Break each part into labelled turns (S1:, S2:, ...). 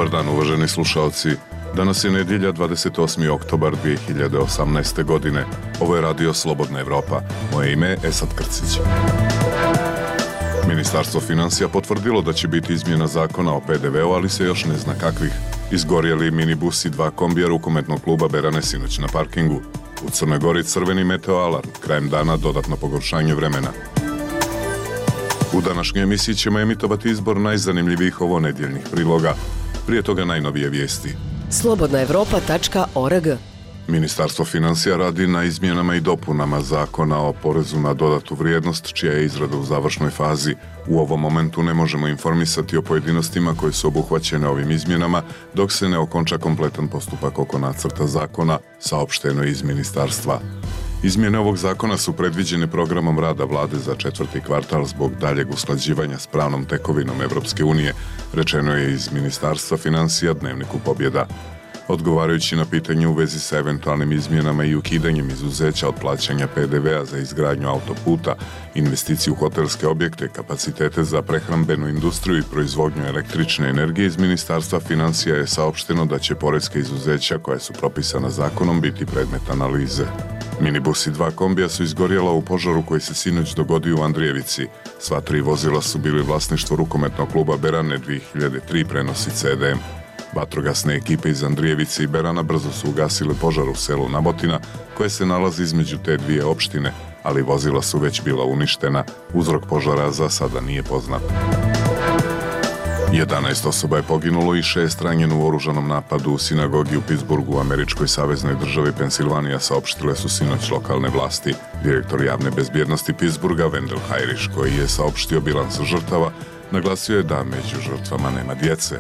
S1: Dobar dan, uvaženi slušalci. Danas je nedjelja 28. oktobar 2018. godine. Ovo je radio Slobodna Evropa. Moje ime je Esad Krcić. Ministarstvo financija potvrdilo da će biti izmjena zakona o PDV-u, ali se još ne zna kakvih. Izgorjeli minibus i 2 kombija rukometnog kluba Berane sinoć na parkingu. U Crnoj Gori crveni meteo alarm, krajem dana dodatno pogoršanje vremena. U današnjoj emisiji ćemo emitovati izbor najzanimljivijih ovonedjeljnih priloga. Prije toga najnovije vijesti.
S2: slobodnaevropa.org.
S1: Ministarstvo financija radi na izmjenama i dopunama zakona o porezu na dodatu vrijednost, čija je izrada u završnoj fazi. U ovom momentu ne možemo informisati o pojedinostima koje su obuhvaćene ovim izmjenama, dok se ne okonča kompletan postupak oko nacrta zakona, saopšteno je iz ministarstva. Izmjene ovog zakona su predviđene programom rada vlade za 4. kvartal zbog daljeg usklađivanja s pravnom tekovinom Evropske unije, rečeno je iz Ministarstva financija Dnevniku Pobjeda. Odgovarajući na pitanje u vezi sa eventualnim izmjenama i ukidanjem izuzeća od plaćanja PDV-a za izgradnju autoputa, investiciju u hotelske objekte, kapacitete za prehrambenu industriju i proizvodnju električne energije, iz Ministarstva financija je saopšteno da će poreska izuzeća koja su propisana zakonom biti predmet analize. Minibus i 2 kombija su izgorjela u požaru koji se sinoć dogodio u Andrijevici. Sva 3 vozila su bili vlasništvo rukometnog kluba Berane 2003 prenosi CDM. Vatrogasne ekipe iz Andrijevice i Berana brzo su ugasile požar u selu Nabotina, koje se nalazi između te dvije opštine, ali vozila su već bila uništena. Uzrok požara za sada nije poznat. 11 osoba je poginulo i 6 ranjeno u oružanom napadu u sinagogi u Pittsburghu u američkoj saveznoj državi Pensilvanija, saopštile su sinoć lokalne vlasti. Direktor javne bezbjednosti Pittsburgha Wendell Heirish, koji je saopštio bilans žrtava, naglasio je da među žrtvama nema djece.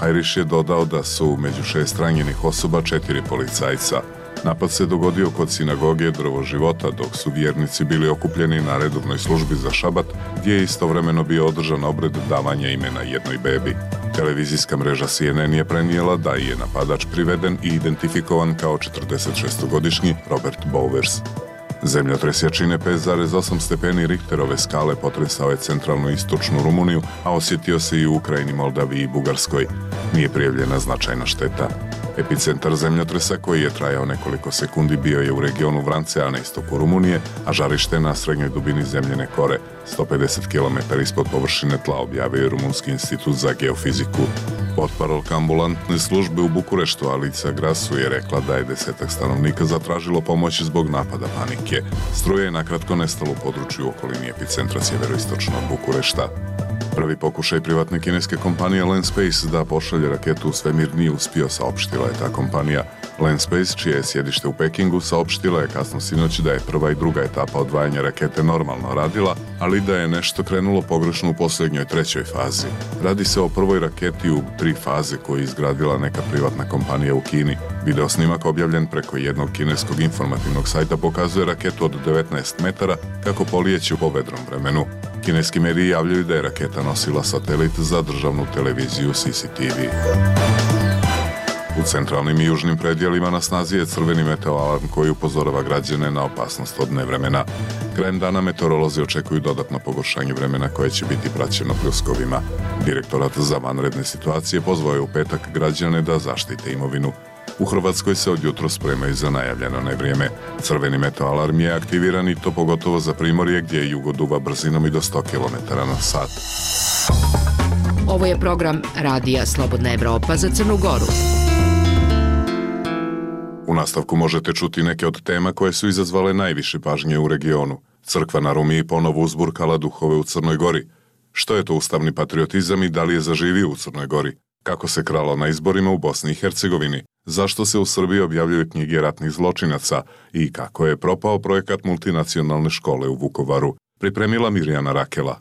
S1: Heirish je dodao da su među 6 ranjenih osoba 4 policajca. Napad se dogodio kod sinagoge Drvo života, dok su vjernici bili okupljeni na redovnoj službi za šabat, gdje je istovremeno bio održan obred davanja imena jednoj bebi. Televizijska mreža CNN je prenijela da je napadač priveden i identifikovan kao 46-godišnji Robert Bowers. Zemljotres jačine 5,8 stepeni Richterove skale potresao je centralnu i istočnu Rumuniju, a osjetio se i u Ukrajini, Moldaviji i Bugarskoj. Nije prijavljena značajna šteta. Epicentar zemljotresa, koji je trajao nekoliko sekundi, bio je u regionu Vrancea na istoku Rumunije, a žarište na srednjoj dubini zemljene kore, 150 km ispod površine tla, objavio je Rumunski institut za geofiziku. Portparolka ambulantne službe u Bukureštu Alica Grasu je rekla da je 10 stanovnika zatražilo pomoć zbog napada panike. Struje je nakratko nestalo u području u okolini epicentra sjeveroistočno od Bukurešta. Prvi pokušaj privatne kineske kompanije Landspace da pošalje raketu u svemir nije uspio, saopštila je ta kompanija. Landspace, čije je sjedište u Pekingu, saopštila je kasno sinoć da je prva i druga etapa odvajanja rakete normalno radila, ali da je nešto krenulo pogrešno u posljednjoj 3. fazi. Radi se o prvoj raketi u 3 faze koju je izgradila neka privatna kompanija u Kini. Video snimak objavljen preko jednog kineskog informativnog sajta pokazuje raketu od 19 metara kako polijeće po vedrom vremenu. Kineski mediji javljaju da je raketa nosila satelit za državnu televiziju CCTV. U centralnim i južnim predjelima na snazi je crveni meteo alarm koji upozorava građane na opasnost od nevremena. Krajem dana meteorolozi očekuju dodatno pogoršanje vremena koje će biti praćeno pljuskovima. Direktorat za vanredne situacije pozvao je u petak građane da zaštite imovinu. U Hrvatskoj se od jutro spremaju za najavljeno nevrijeme. Crveni meteo alarm je aktiviran i to pogotovo za Primorje, gdje jugo duva brzinom i do 100 km na sat.
S2: Ovo je program Radija Slobodna Evropa za Crnu Goru.
S1: U nastavku možete čuti neke od tema koje su izazvale najviše pažnje u regionu. Crkva na Rumiji ponovo uzburkala duhove u Crnoj Gori. Što je to ustavni patriotizam i da li je zaživio u Crnoj Gori? Kako se kralo na izborima u Bosni i Hercegovini? Zašto se u Srbiji objavljuju knjige ratnih zločinaca? I kako je propao projekat multinacionalne škole u Vukovaru? Pripremila Mirjana Rakela.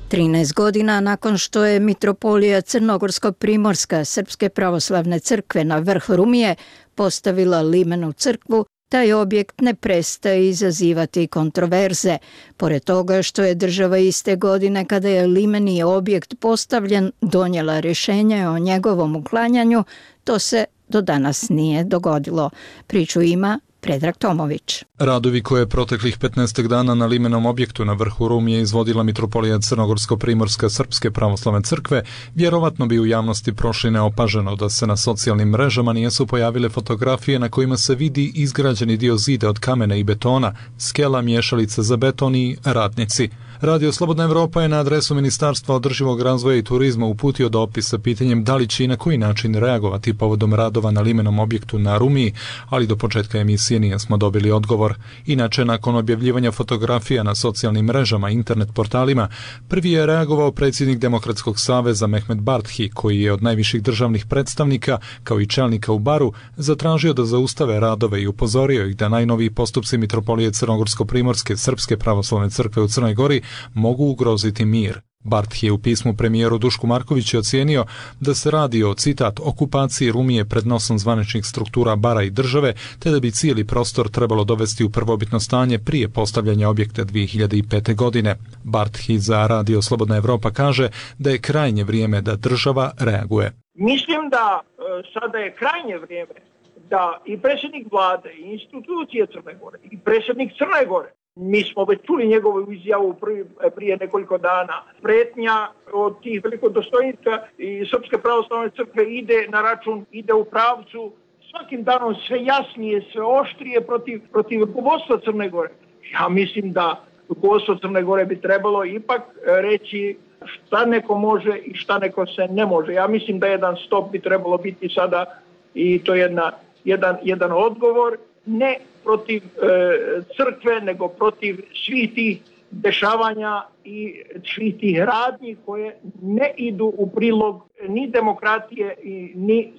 S3: 13 godina nakon što je Mitropolija Crnogorsko-Primorska Srpske pravoslavne crkve na vrh Rumije postavila limenu crkvu, taj objekt ne prestaje izazivati kontroverze. Pored toga što je država iste godine kada je limeni objekt postavljen donijela rješenje o njegovom uklanjanju, to se do danas nije dogodilo. Priču ima Predrag Tomović.
S4: Radovi koje je proteklih 15 dana na limenom objektu na vrhu Rumije izvodila mitropolija Crnogorsko-primorska Srpske pravoslavne crkve, vjerovatno bi u javnosti prošli neopaženo da se na socijalnim mrežama nisu pojavile fotografije na kojima se vidi izgrađeni dio zida od kamena i betona, skela, miješalica za beton i radnici. Radio Slobodna Evropa je na adresu Ministarstva održivog razvoja i turizma uputio dopis sa pitanjem da li će i na koji način reagovati povodom radova na limenom objektu na Rumiji, ali do početka emisije nismo dobili odgovor. Inače, nakon objavljivanja fotografija na socijalnim mrežama i internet portalima, prvi je reagovao predsjednik Demokratskog saveza Mehmet Barthi, koji je od najviših državnih predstavnika, kao i čelnika u Baru, zatražio da zaustave radove i upozorio ih da najnoviji postupci mitropolije Crnogorsko-primorske Srpske pravoslavne crkve u Crnoj Gori mogu ugroziti mir. Barth je u pismu premijeru Dušku Markoviću ocijenio da se radi o, citat, okupaciji Rumije pred nosom zvaničnih struktura Bara i države, te da bi cijeli prostor trebalo dovesti u prvobitno stanje prije postavljanja objekta 2005. godine. Barth za Radio Slobodna Evropa kaže da je krajnje vrijeme da država reaguje.
S5: Mislim da sada je krajnje vrijeme da i predsjednik vlade, i institucije Crne Gore, i predsjednik Crne Gore, mi smo već čuli njegovu izjavu prije nekoliko dana. Pretnja od tih velikodostojnika i Srpske pravoslavne crkve ide u pravcu svakim danom sve jasnije, sve oštrije protiv rukovodstva Crne Gore. Ja mislim da rukovodstvo Crne Gore bi trebalo ipak reći šta neko može i šta neko se ne može. Ja mislim da jedan stop bi trebalo biti sada i to je jedan odgovor, ne protiv crkve, nego protiv svih tih dešavanja i svih tih radnji koje ne idu u prilog ni demokratije ni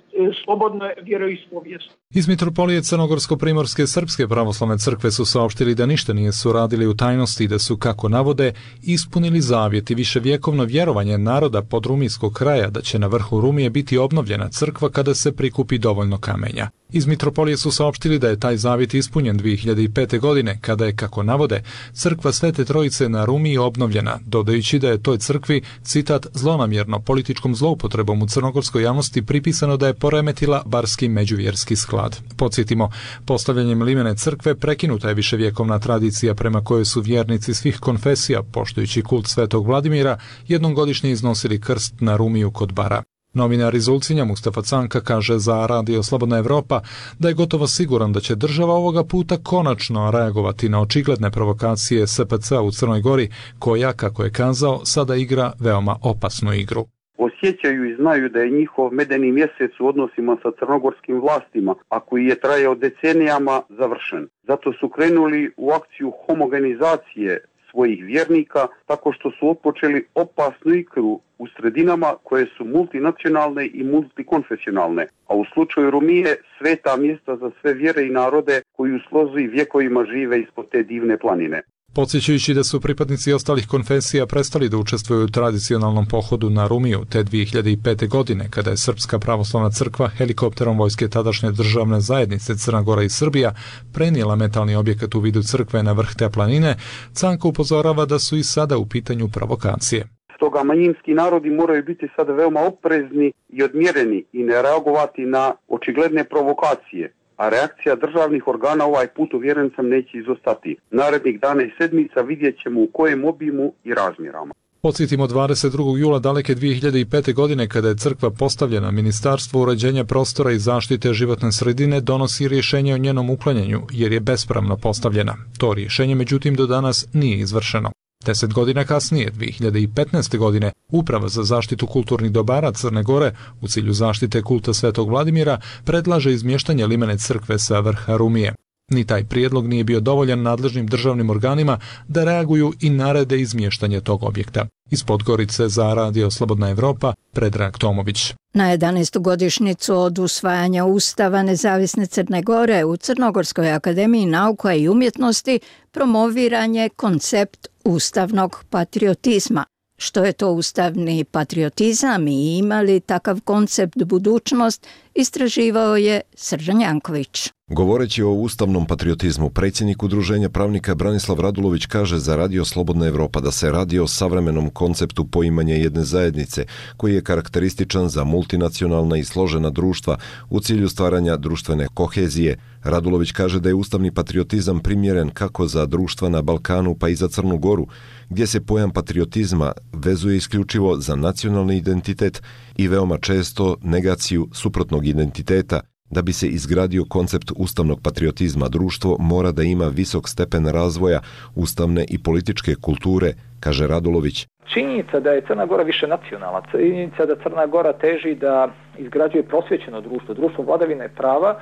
S5: slobodne vjeroispovijesti.
S4: Iz mitropolije Crnogorsko-primorske Srpske pravoslavne crkve su saopštili da ništa nisu radili u tajnosti i da su, kako navode, ispunili zavjet i viševjekovno vjerovanje naroda podrumijskog kraja da će na vrhu Rumije biti obnovljena crkva kada se prikupi dovoljno kamenja. Iz mitropolije su saopštili da je taj zavjet ispunjen 2005. godine, kada je, kako navode, crkva Svete Trojice na Rumiji obnovljena, dodajući da je toj crkvi, citat, zlonamjerno političkom zloupotrebom u crnogorskoj javnosti pripisano da je poremetila barski međuvjerski sklad. Podsjetimo, postavljanjem limene crkve prekinuta je viševjekovna tradicija prema kojoj su vjernici svih konfesija, poštujući kult Svetog Vladimira, jednom godišnje iznosili krst na Rumiju kod Bara. Novinar iz Ulcinja Mustafa Canka kaže za Radio Slobodna Evropa da je gotovo siguran da će država ovoga puta konačno reagovati na očigledne provokacije SPC u Crnoj Gori, koja, kako je kazao, sada igra veoma opasnu igru.
S6: Osjećaju i znaju da je njihov medeni mjesec u odnosima sa crnogorskim vlastima, a koji je trajao decenijama, završen. Zato su krenuli u akciju homogenizacije svojih vjernika tako što su otpočeli opasnu igru u sredinama koje su multinacionalne i multikonfesionalne, a u slučaju Rumije sveta mjesta za sve vjere i narode koji u slozi vjekovima žive ispod te divne planine.
S4: Podsjećajući da su pripadnici ostalih konfesija prestali da učestvuju u tradicionalnom pohodu na Rumiju te 2005. godine, kada je Srpska pravoslavna crkva helikopterom vojske tadašnje državne zajednice Crna Gora i Srbija prenijela metalni objekat u vidu crkve na vrh te planine, Canko upozorava da su i sada u pitanju provokacije.
S6: Stoga manjinski narodi moraju biti sada veoma oprezni i odmjereni i ne reagovati na očigledne provokacije. A reakcija državnih organa ovaj put, uvjeren sam, neće izostati. Narednih dana i sedmica vidjet ćemo u kojem obimu i razmjerama.
S4: Podsjetimo, 22. jula daleke 2005. godine, kada je crkva postavljena, Ministarstvo uređenja prostora i zaštite životne sredine donosi rješenje o njenom uklanjanju, jer je bespravno postavljena. To rješenje, međutim, do danas nije izvršeno. 10 godina kasnije, 2015. godine, Uprava za zaštitu kulturnih dobara Crne Gore u cilju zaštite kulta Svetog Vladimira predlaže izmještanje limene crkve sa vrha Rumije. Ni taj prijedlog nije bio dovoljan nadležnim državnim organima da reaguju i narede izmještanje tog objekta. Iz Podgorice za Radio Slobodna Evropa, Predrag Tomović.
S3: Na 11. godišnjicu od usvajanja Ustava Nezavisne Crne Gore u Crnogorskoj akademiji nauka i umjetnosti promoviran je koncept ustavnog patriotizma. Što je to ustavni patriotizam i ima li takav koncept budućnost istraživao je Srđan Janković.
S7: Govoreći o ustavnom patriotizmu, predsjednik Udruženja pravnika Branislav Radulović kaže za Radio Slobodna Evropa da se radi o savremenom konceptu poimanja jedne zajednice, koji je karakterističan za multinacionalna i složena društva u cilju stvaranja društvene kohezije. Radulović kaže da je ustavni patriotizam primjeren kako za društva na Balkanu pa i za Crnu Goru, gdje se pojam patriotizma vezuje isključivo za nacionalni identitet i veoma često negaciju suprotnog identiteta. Da bi se izgradio koncept ustavnog patriotizma, društvo mora da ima visok stepen razvoja ustavne i političke kulture, kaže Radulović.
S8: Činjenica da je Crna Gora više nacionalna, činjenica da Crna Gora teži da izgrađuje prosvjećeno društvo, društvo vladavine prava,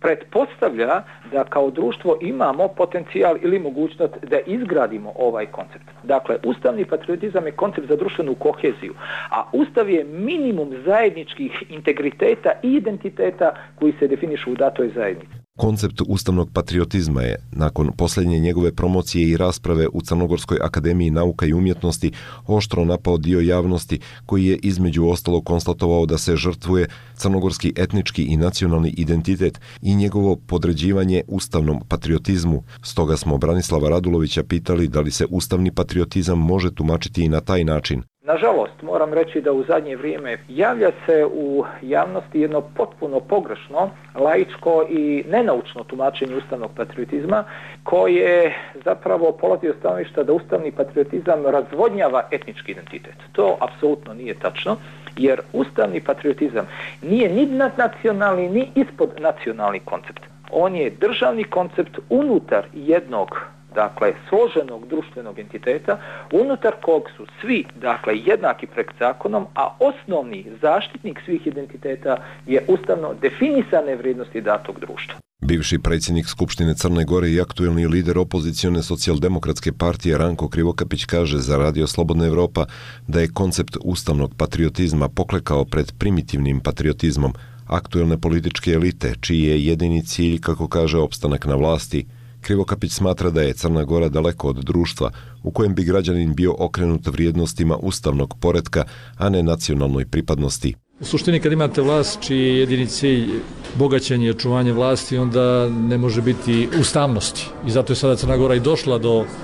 S8: pretpostavlja da kao društvo imamo potencijal ili mogućnost da izgradimo ovaj koncept. Dakle, ustavni patriotizam je koncept za društvenu koheziju, a ustav je minimum zajedničkih integriteta i identiteta koji se definišu u datoj zajednici.
S7: Koncept ustavnog patriotizma je, nakon posljednje njegove promocije i rasprave u Crnogorskoj akademiji nauka i umjetnosti, oštro napao dio javnosti koji je između ostalog konstatovao da se žrtvuje crnogorski etnički i nacionalni identitet i njegovo podređivanje ustavnom patriotizmu. Stoga smo Branislava Radulovića pitali da li se ustavni patriotizam može tumačiti i na taj način.
S8: Nažalost, moram reći da u zadnje vrijeme javlja se u javnosti jedno potpuno pogrešno, laičko i nenaučno tumačenje ustavnog patriotizma, koje zapravo polazi od stanovišta da ustavni patriotizam razvodnjava etnički identitet. To apsolutno nije tačno, jer ustavni patriotizam nije ni nadnacionalni ni ispod nacionalni koncept. On je državni koncept unutar jednog, dakle, složenog društvenog entiteta, unutar kog su svi, dakle, jednaki pred zakonom, a osnovni zaštitnik svih identiteta je ustavno definisane vrijednosti datog društva.
S7: Bivši predsjednik Skupštine Crne Gore i aktuelni lider opozicione socijaldemokratske partije Ranko Krivokapić kaže za Radio Slobodna Evropa da je koncept ustavnog patriotizma poklekao pred primitivnim patriotizmom aktuelne političke elite, čiji je jedini cilj, kako kaže, opstanak na vlasti. Krivokapić smatra da je Crna Gora daleko od društva u kojem bi građanin bio okrenut vrijednostima ustavnog poretka, a ne nacionalnoj pripadnosti.
S9: U suštini, kad imate vlast čiji je jedini cilj bogaćenje i očuvanje vlasti, onda ne može biti ustavnosti. I zato je sada Crna Gora i došla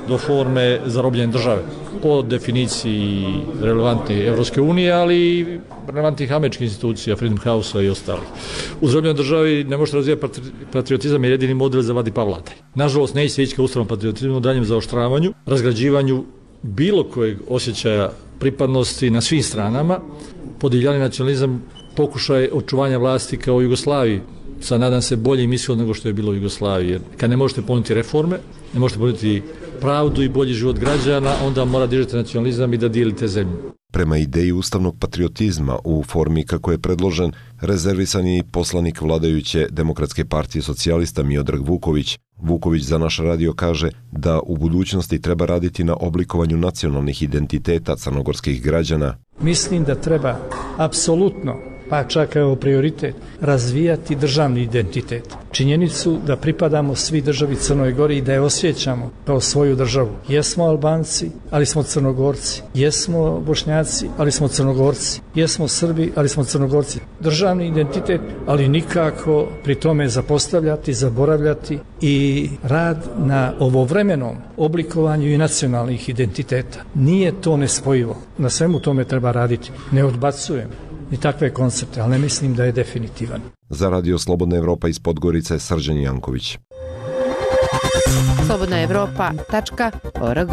S9: do forme zarobljene države. Po definiciji relevantne Evropske unije, ali i relevantnih američkih institucija, Freedom House-a i ostalih. U zarobljenoj državi ne možete razvijati patriotizam, je jedini model za vladavinu vladaj. Nažalost, neće se ići ka ustavnom patriotizmu, daljem zaoštravanju, razgrađivanju bilo kojeg osjećaja pripadnosti na svim stranama, podivljani nacionalizam, pokušaj očuvanja vlasti kao u Jugoslaviji, sa nadam se boljim ishodom nego što je bilo u Jugoslaviji. Jer kad ne možete ponuditi reforme, ne možete ponuditi pravdu i bolji život građana, onda mora dižete nacionalizam i da dijelite zemlju.
S7: Prema ideji ustavnog patriotizma u formi kako je predložen, rezervisan je i poslanik vladajuće Demokratske partije socijalista Miodrag Vuković. Vuković za naš radio kaže da u budućnosti treba raditi na oblikovanju nacionalnih identiteta crnogorskih građana.
S10: Mislim da treba apsolutno, pa čak evo prioritet, razvijati državni identitet. Činjenicu da pripadamo svi državi Crnoj Gori i da je osjećamo kao svoju državu. Jesmo Albanci, ali smo Crnogorci. Jesmo Bošnjaci, ali smo Crnogorci. Jesmo Srbi, ali smo Crnogorci. Državni identitet, ali nikako pri tome zapostavljati, zaboravljati i rad na ovovremenom oblikovanju i nacionalnih identiteta. Nije to nespojivo. Na svemu tome treba raditi. Ne odbacujem ni takve koncepte, ali ne mislim da je definitivan.
S7: Za Radio Slobodna Evropa iz Podgorice, Srđan Janković.
S2: slobodnaevropa.org.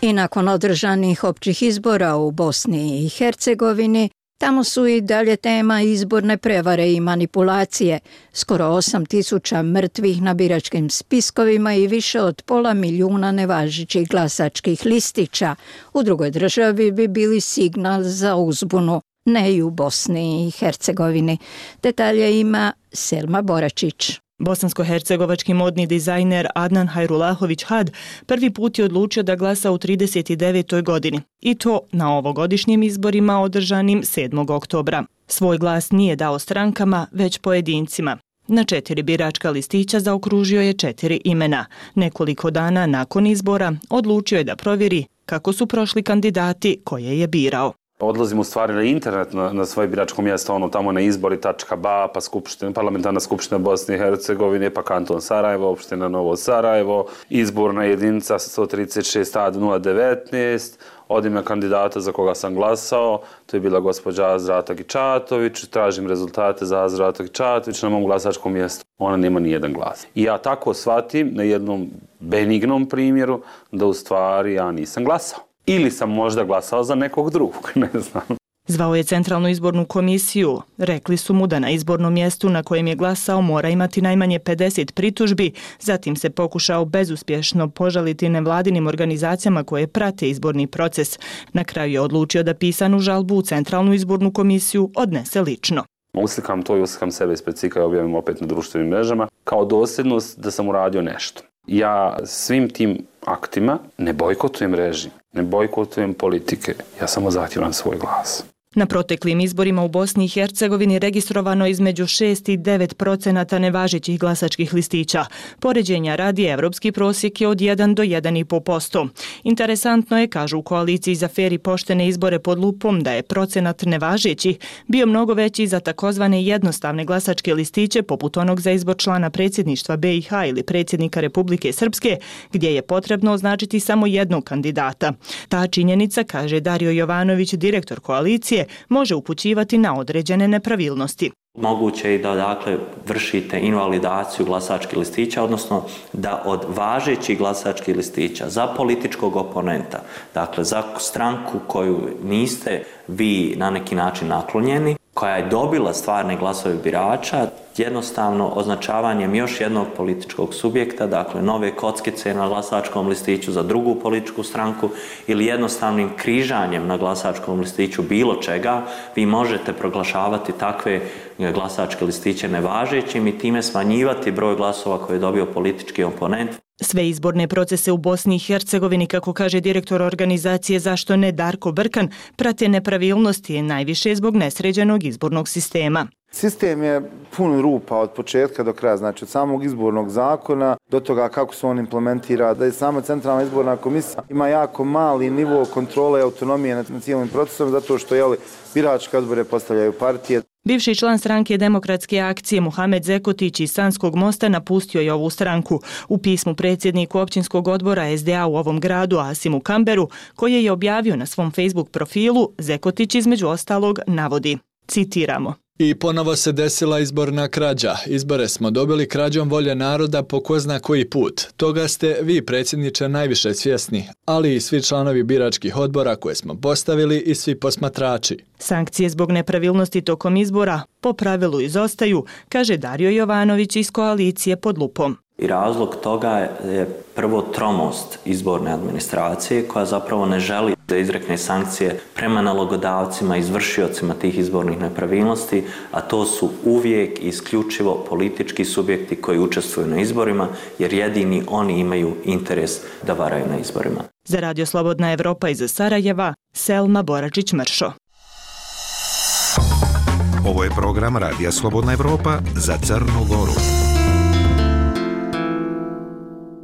S3: I nakon održanih općih izbora u Bosni i Hercegovini, tamo su i dalje tema izborne prevare i manipulacije, skoro 8.000 mrtvih na biračkim spiskovima i više od 500.000 nevažećih glasačkih listića. U drugoj državi bi bili signal za uzbunu, ne i u Bosni i Hercegovini. Detalje ima Selma Boračić.
S11: Bosansko-hercegovački modni dizajner Adnan Hajrulahović Had prvi put je odlučio da glasa u 39. godini i to na ovogodišnjim izborima održanim 7. oktobra. Svoj glas nije dao strankama, već pojedincima. Na 4 biračka listića zaokružio je 4 imena. Nekoliko dana nakon izbora odlučio je da provjeri kako su prošli kandidati koje je birao.
S12: odlazimo u stvari na internet na svoje biračko mjesto, tamo na izbori.ba, pa parlamentarna skupština Bosne i Hercegovine, pa kanton Sarajevo, opština Novo Sarajevo, izborna jedinica 136A019, od ime kandidata za koga sam glasao, to je bila gospođa Azra Atagičatović, tražim rezultate za Azra Atagičatović na mom glasačkom mjestu. Ona nema ni jedan glas. I ja tako shvatim na jednom benignom primjeru da u stvari ja nisam glasao. Ili sam možda glasao za nekog drugog, ne znam.
S11: Zvao je Centralnu izbornu komisiju. Rekli su mu da na izbornom mjestu na kojem je glasao mora imati najmanje 50 pritužbi, zatim se pokušao bezuspješno požaliti nevladinim organizacijama koje prate izborni proces. Na kraju je odlučio da pisanu žalbu u Centralnu izbornu komisiju odnese lično.
S12: Uslikam to i uslikam sebe ispred cika i objavim opet na društvenim mrežama kao dosljednost da sam uradio nešto. Ja svim tim aktima ne bojkotujem režim, ne bojkotujem politike, ja samo zahtijevam svoj glas.
S11: Na proteklim izborima u Bosni i Hercegovini registrovano između 6 i 9% nevažećih glasačkih listića. Poređenja radi evropski prosjek je od 1 do 1,5%. Interesantno je, kažu u koaliciji za fer i poštene izbore pod lupom, da je procenat nevažećih bio mnogo veći za takozvane jednostavne glasačke listiće poput onog za izbor člana predsjedništva BiH ili predsjednika Republike Srpske, gdje je potrebno označiti samo jednog kandidata. Ta činjenica, kaže Dario Jovanović, direktor koalicije, može upućivati na određene nepravilnosti.
S13: Moguće je da vršite invalidaciju glasačkih listića, odnosno da od važećih glasačkih listića za političkog oponenta, dakle za stranku koju niste vi na neki način naklonjeni, koja je dobila stvarne glasove birača, jednostavno označavanjem još jednog političkog subjekta, dakle nove kockice na glasačkom listiću za drugu političku stranku ili jednostavnim križanjem na glasačkom listiću bilo čega, vi možete proglašavati takve glasačke listiće nevažećim i time smanjivati broj glasova koje je dobio politički oponent.
S11: Sve izborne procese u Bosni i Hercegovini, kako kaže direktor organizacije Zašto ne Darko Brkan, prate nepravilnosti najviše zbog nesređenog izbornog sistema.
S14: Sistem je pun rupa od početka do kraja, znači od samog izbornog zakona do toga kako se on implementira, da je sama Centralna izborna komisija ima jako mali nivo kontrole i autonomije nad cijelim procesom zato što biračke odbore postavljaju partije.
S11: Bivši član stranke Demokratske akcije Muhamed Zekotić iz Sanskog Mosta napustio je ovu stranku. U pismu predsjedniku općinskog odbora SDA u ovom gradu, Asimu Kamberu, koje je objavio na svom Facebook profilu, Zekotić između ostalog navodi, citiramo:
S15: I ponovo se desila izborna krađa. Izbore smo dobili krađom volje naroda po ko zna koji put. Toga ste vi, predsjedniče, najviše svjesni, ali i svi članovi biračkih odbora koje smo postavili i svi posmatrači.
S11: Sankcije zbog nepravilnosti tokom izbora po pravilu izostaju, kaže Dario Jovanović iz koalicije pod lupom.
S13: I razlog toga je prvo tromost izborne administracije koja zapravo ne želi da izrekne sankcije prema nalogodavcima, izvršiocima tih izbornih nepravilnosti, a to su uvijek i isključivo politički subjekti koji učestvuju na izborima, jer jedini oni imaju interes da varaju na izborima.
S11: Za Radio Slobodna Evropa iz Sarajeva, Selma Boračić-Mršo.
S16: Ovo je program Radija Slobodna Evropa za Crnu Goru.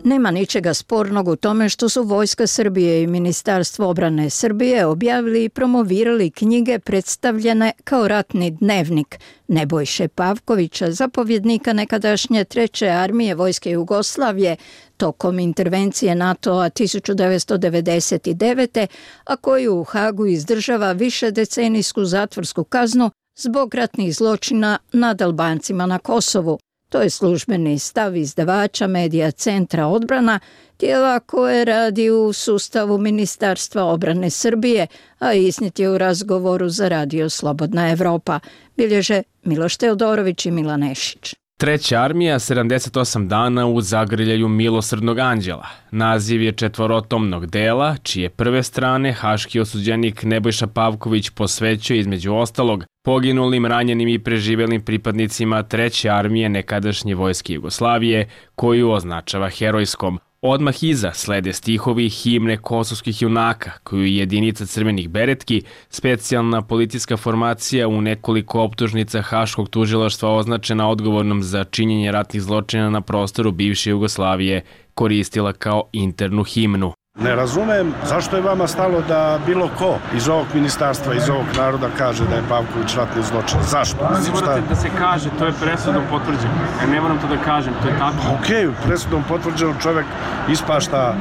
S3: Nema ničega spornog u tome što su Vojska Srbije i Ministarstvo obrane Srbije objavili i promovirali knjige predstavljene kao ratni dnevnik Nebojše Pavkovića, zapovjednika nekadašnje 3. armije Vojske Jugoslavije tokom intervencije NATO-a 1999. a koji u Hagu izdržava višedecenijsku zatvorsku kaznu zbog ratnih zločina nad Albancima na Kosovu. To je službeni stav izdavača Medija Centra odbrana, tijela koje radi u sustavu Ministarstva obrane Srbije, a iznijet je u razgovoru za Radio Slobodna Evropa. Bilježe Miloš Teodorović i Milan Nešić.
S17: 3. armija 78 dana u zagrljaju milosrdnog anđela. Naziv je četvorotomnog dela, čije prve strane haški osuđenik Nebojša Pavković posvećuje između ostalog poginulim, ranjenim i preživelim pripadnicima 3. armije nekadašnje Vojske Jugoslavije, koju označava herojskom. Odmah iza slede stihovi himne kosovskih junaka, koju je jedinica crvenih beretki, specijalna policijska formacija u nekoliko optužnica Haškog tužilaštva označena odgovornom za činjenje ratnih zločina na prostoru bivše Jugoslavije, koristila kao internu himnu.
S18: Ne razumem zašto je vama stalo da bilo ko iz ovog ministarstva, iz ovog naroda kaže da je Pavković ratni zločin. Zašto?
S19: Ne morate da se kaže, to je presudom potvrđeno. Ne moram to da kažem, to je tako.
S18: Okej, presudom potvrđeno, čovjek ispašta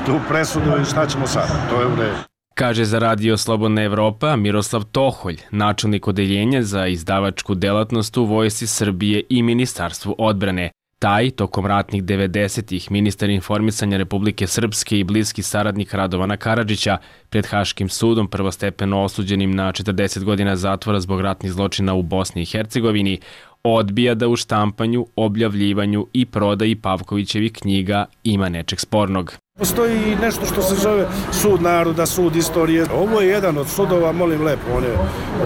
S18: tu presudu i šta ćemo sad? To je u redu.
S17: Kaže za Radio Slobodna Evropa Miroslav Toholj, načelnik odeljenja za izdavačku delatnost u Vojsci Srbije i Ministarstvu odbrane. Taj, tokom ratnih 90-ih, ministar informisanja Republike Srpske i bliski saradnik Radovana Karadžića, pred Haškim sudom prvostepeno osuđenim na 40 godina zatvora zbog ratnih zločina u Bosni i Hercegovini, odbija da u štampanju, objavljivanju i prodaji Pavkovićevih knjiga ima nečeg spornog.
S18: Postoji nešto što se zove sud naroda, sud istorije. Ovo je jedan od sudova, molim lepo, on je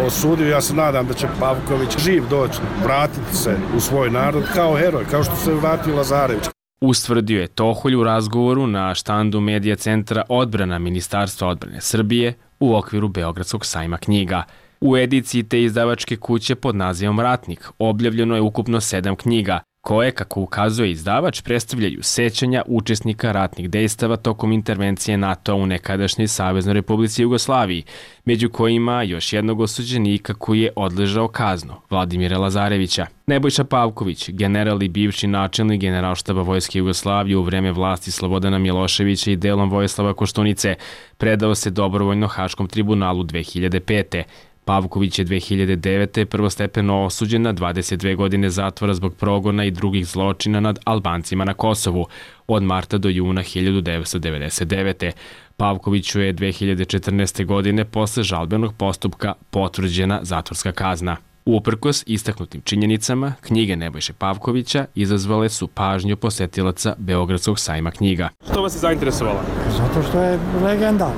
S18: osudio. Ja se nadam da će Pavković živ doći, vratiti se u svoj narod kao heroj, kao što se vratio Lazarević.
S17: Ustvrdio je Toholj u razgovoru na štandu Medija centra odbrana Ministarstva odbrane Srbije u okviru Beogradskog sajma knjiga. U ediciji te izdavačke kuće pod nazivom Ratnik objavljeno je ukupno 7 knjiga, koje, kako ukazuje izdavač, predstavljaju sećanja učesnika ratnih dejstava tokom intervencije NATO-a u nekadašnjoj Saveznoj Republici Jugoslaviji, među kojima još jednog osuđenika koji je odležao kaznu, Vladimira Lazarevića. Nebojša Pavković, general i bivši načelnik Generalštaba Vojske Jugoslavije u vreme vlasti Slobodana Miloševića i delom Vojislava Koštunice, predao se dobrovoljno Haškom tribunalu 2005. Pavković je 2009. prvostepeno osuđen na 22 godine zatvora zbog progona i drugih zločina nad Albancima na Kosovu od marta do juna 1999. Pavkoviću je 2014. godine posle žalbenog postupka potvrđena zatvorska kazna. Uprkos istaknutim činjenicama, knjige Nebojše Pavkovića izazvale su pažnju posetilaca Beogradskog sajma knjiga.
S19: Što vas je zainteresovalo?
S20: Zato što je legenda.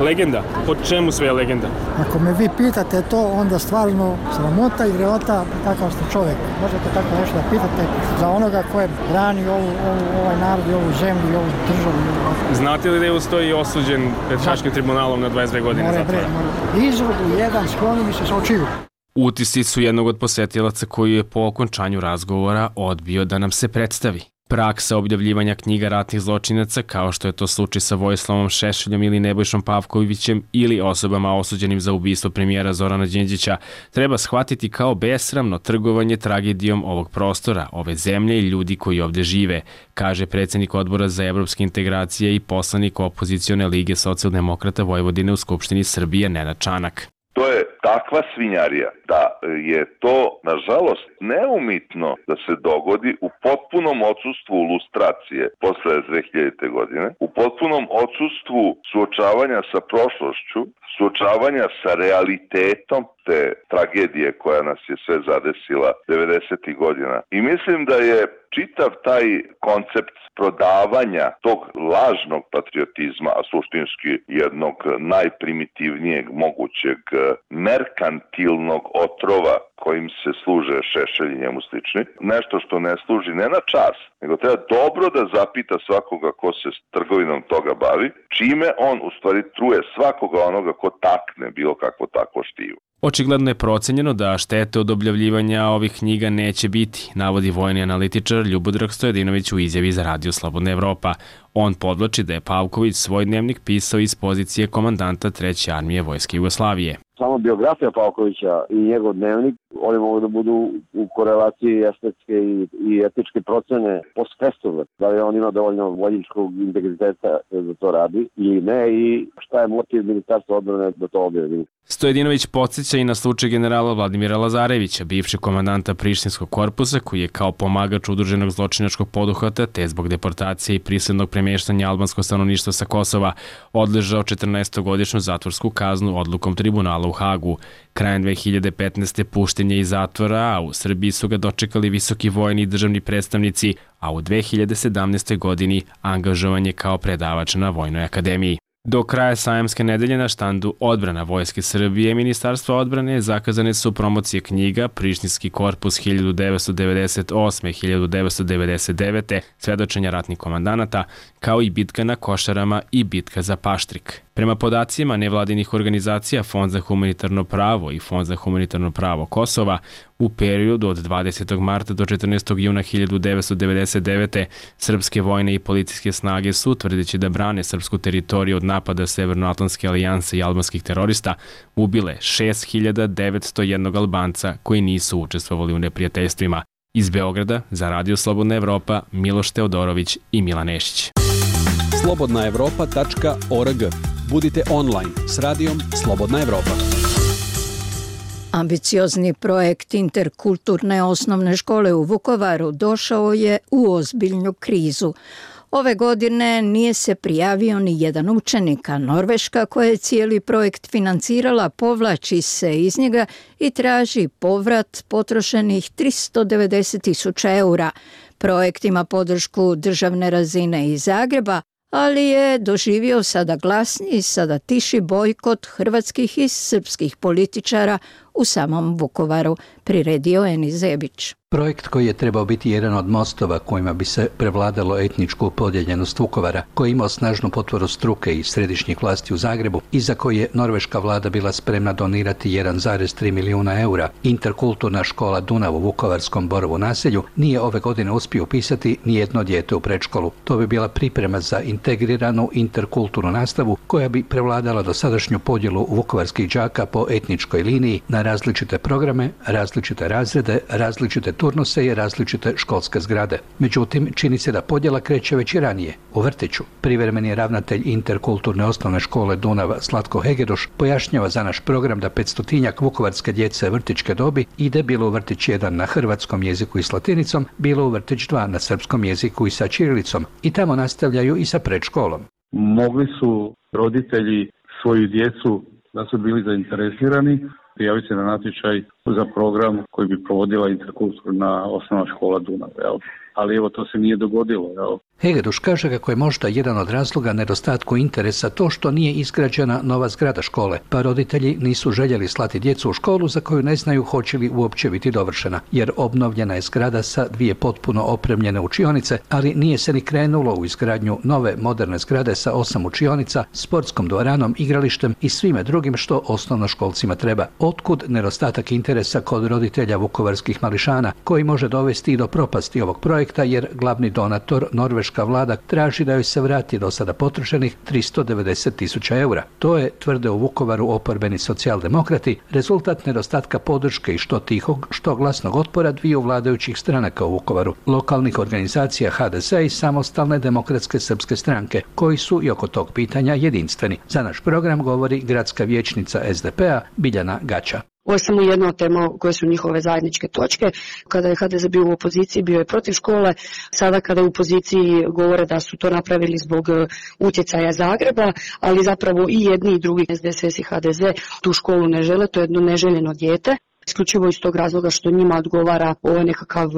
S19: Legenda? Po čemu sve je legenda?
S20: Ako me vi pitate to, onda stvarno sramota i greota kakav ste čovjek. Možete tako nešto da pitate za onoga ko je brani ovaj narod i ovu zemlju i ovu državu.
S19: Znate li da je ustoji osuđen pred Haškim tribunalom na 22 godine zatvora?
S20: Izvodu jedan skloni mi se sa očiju.
S17: Utisci su jednog od posetilaca koji je po okončanju razgovora odbio da nam se predstavi. Praksa objavljivanja knjiga ratnih zločinaca, kao što je to slučaj sa Vojislavom Šešeljom ili Nebojšom Pavkovićem ili osobama osuđenim za ubistvo premijera Zorana Đinđića, treba shvatiti kao besramno trgovanje tragedijom ovog prostora, ove zemlje i ljudi koji ovde žive, kaže predsjednik Odbora za evropske integracije i poslanik opozicione Lige socijaldemokrata Vojvodine u Skupštini Srbije Nenad Čanak.
S21: To je takva svinjarija da je to, nažalost, neumitno da se dogodi u potpunom odsustvu lustracije posle 2000. godine, u potpunom odsustvu suočavanja sa prošlošću, suočavanja sa realitetom te tragedije koja nas je sve zadesila 90. godina. I mislim da je čitav taj koncept prodavanja tog lažnog patriotizma, a suštinski jednog najprimitivnijeg mogućeg merkantilnog otrova kojim se služe Šešelj i njemu slični, nešto što ne služi ne na čas, nego treba dobro da zapita svakoga ko se s trgovinom toga bavi, čime on u stvari truje svakoga onoga ko takne bilo kakvo takvo štivo.
S17: Očigledno je procenjeno da štete od objavljivanja ovih knjiga neće biti, navodi vojni analitičar Ljubodrag Stojadinović u izjavi za Radio Slobodna Evropa. On podvlači da je Pavković svoj dnevnik pisao iz pozicije komandanta 3. armije Vojske Jugoslavije.
S22: Samo biografija Pavkovića i njegov dnevnik, oni mogu da budu u korelaciji estetske i etičke procene post festum, da li on ima dovoljno vojničkog integriteta da to radi ili ne i šta je motiv Ministarstva odbrane da to objavi.
S17: Stojadinović podsjeća i na slučaj generala Vladimira Lazarevića, bivšeg komandanta Prištinskog korpusa koji je kao pomagač udruženog zločinačkog poduhvata te zbog deportacije i prisilnog premještanja albanskog stanovništva sa Kosova odležao 14-godišnju zatvorsku kaznu odlukom tribunala u Hagu. Krajem 2015. pušten je iz zatvora, a u Srbiji su ga dočekali visoki vojni i državni predstavnici, a u 2017. godini angažovan je kao predavač na Vojnoj akademiji. Do kraja sajamske nedelje na štandu Odbrana Vojske Srbije i Ministarstva odbrane zakazane su promocije knjiga Prištinski korpus 1998-1999, svedočenja ratnih komandanata, kao i bitka na Košarama i bitka za Paštrik. Prema podacima nevladinih organizacija Fond za humanitarno pravo i Fond za humanitarno pravo Kosova, u periodu od 20. marta do 14. juna 1999. srpske vojne i policijske snage su, tvrdeći da brane srpsku teritoriju od napada Severnoatlantske alijanse i albanskih terorista, ubile 6.901 Albanca koji nisu učestvovali u neprijateljstvima. Iz Beograda za Radio Slobodna Evropa Miloš Teodorović i Milan Nešić.
S1: slobodnaevropa.org. Budite online s radijom Slobodna Evropa.
S3: Ambiciozni projekt interkulturne osnovne škole u Vukovaru došao je u ozbiljnu krizu. Ove godine nije se prijavio ni jedan učenik, a Norveška koja je cijeli projekt financirala povlači se iz njega i traži povrat potrošenih 390.000 eura. Projekt ima podršku državne razine iz Zagreba, ali je doživio sada glasniji, sada tiši bojkot hrvatskih i srpskih političara u samom Vukovaru, priredio Enis Zebić.
S5: Projekt koji je trebao biti jedan od mostova kojima bi se prevladalo etničku podijeljenost Vukovara, koji je imao snažnu potporu struke i središnjih vlasti u Zagrebu i za koje je norveška vlada bila spremna donirati 1,3 milijuna eura, interkulturna škola Dunav u vukovarskom Borovu naselju nije ove godine uspio upisati nijedno dijete u predškolu. To bi bila priprema za integriranu interkulturnu nastavu koja bi prevladala dosadašnju podjelu vukovarskih đaka po etničkoj liniji na različite programe, različite razrede, različite turnuse i različite školske zgrade. Međutim, čini se da podjela kreće već i ranije, u vrtiću. Privremeni ravnatelj interkulturne osnovne škole Dunav Slatko Hegedoš pojašnjava za naš program da 500-tinjak vukovarske djece vrtićke dobi ide bilo u vrtić 1 na hrvatskom jeziku i s latinicom, bilo u vrtić 2 na srpskom jeziku i sa ćirilicom i tamo nastavljaju i sa predškolom.
S23: Mogli su roditelji svoju djecu da su bili zainteresirani prijaviti se na natječaj za program koji bi provodila interkulturna osnovna škola Dunav. Ali evo, to se nije dogodilo.
S5: Hegeduš kaže kako je možda jedan od razloga nedostatku interesa to što nije izgrađena nova zgrada škole, pa roditelji nisu željeli slati djecu u školu za koju ne znaju hoće li uopće biti dovršena, jer obnovljena je zgrada sa 2 potpuno opremljene učionice, ali nije se ni krenulo u izgradnju nove moderne zgrade sa 8 učionica, sportskom dvoranom, igralištem i svime drugim što osnovnoškolcima treba. Otkud nedostatak interesa kod roditelja vukovarskih mališana, koji može dovesti i do propasti ovog projekta, jer glavni donator norveška vlada traži da joj se vrati do sada potrošenih 390.000 eura. To je, tvrde u Vukovaru oporbeni socijaldemokrati, rezultat nedostatka podrške i što tihog, što glasnog otpora dviju vladajućih stranaka u Vukovaru, lokalnih organizacija HDZ i samostalne demokratske srpske stranke, koji su i oko tog pitanja jedinstveni. Za naš program govori gradska vijećnica SDP-a Biljana Gača.
S24: Ovo je samo jedna od tema koje su njihove zajedničke točke. Kada je HDZ bio u opoziciji, bio je protiv škole. Sada kada je u opoziciji govore da su to napravili zbog utjecaja Zagreba, ali zapravo i jedni i drugi, SDSS i HDZ, tu školu ne žele, to je jedno neželjeno dijete. Isključivo iz tog razloga što njima odgovara ovo nekakav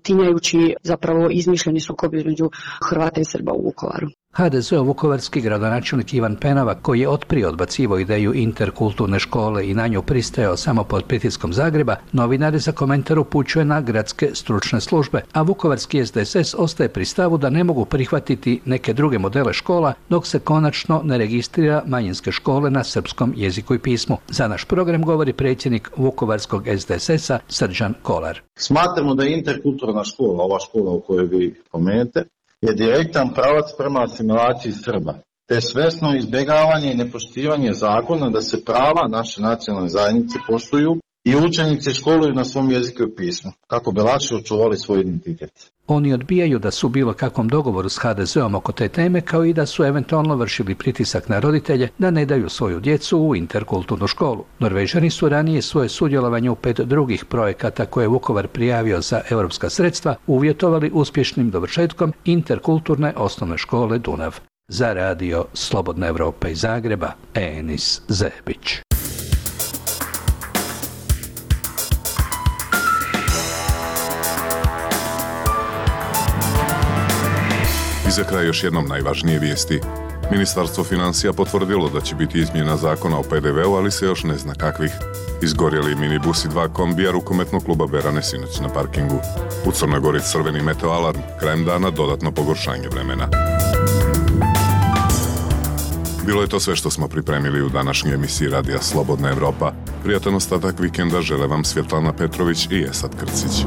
S24: tinjajući, zapravo izmišljeni sukob između Hrvata i Srba u Vukovaru.
S5: HDZ-ov vukovarski gradonačelnik Ivan Penava, koji je otprije odbacivao ideju interkulturne škole i na nju pristajao samo pod pritiskom Zagreba, novinare za komentar upućuje na gradske stručne službe, a vukovarski SDSS ostaje pri stavu da ne mogu prihvatiti neke druge modele škola dok se konačno ne registrira manjinske škole na srpskom jeziku i pismu. Za naš program govori predsjednik vukovarskog SDSS-a Srđan Kolar.
S25: Smatramo da je interkulturna škola, ova škola u kojoj vi pomenete, je direktan pravac prema asimilaciji Srba, te svesno izbjegavanje i nepoštivanje zakona da se prava naše nacionalne zajednice poštuju i učenici školuju na svom jeziku i pismu, kako bi lakše očuvali svoj identitet.
S5: Oni odbijaju da su u bilo kakvom dogovoru s HDZ-om oko te teme, kao i da su eventualno vršili pritisak na roditelje da ne daju svoju djecu u interkulturnu školu. Norvežani su ranije svoje sudjelovanje u 5 drugih projekata koje je Vukovar prijavio za europska sredstva uvjetovali uspješnim dovršetkom interkulturne osnovne škole Dunav. Za radio Slobodna Evropa iz Zagreba, Enis Zebić.
S26: I za kraj još jednom najvažnije vijesti. Ministarstvo financija potvrdilo da će biti izmjena zakona o PDV-u, ali se još ne zna kakvih. Izgorjeli minibus i 2 kombija rukometnog kluba Berane sinoć na parkingu. U Crnoj Gori crveni meteo alarm, krajem dana dodatno pogoršanje vremena. Bilo je to sve što smo pripremili u današnjoj emisiji Radija Slobodna Evropa. Prijatan ostatak vikenda žele vam Svjetlana Petrović i Esad Krcić.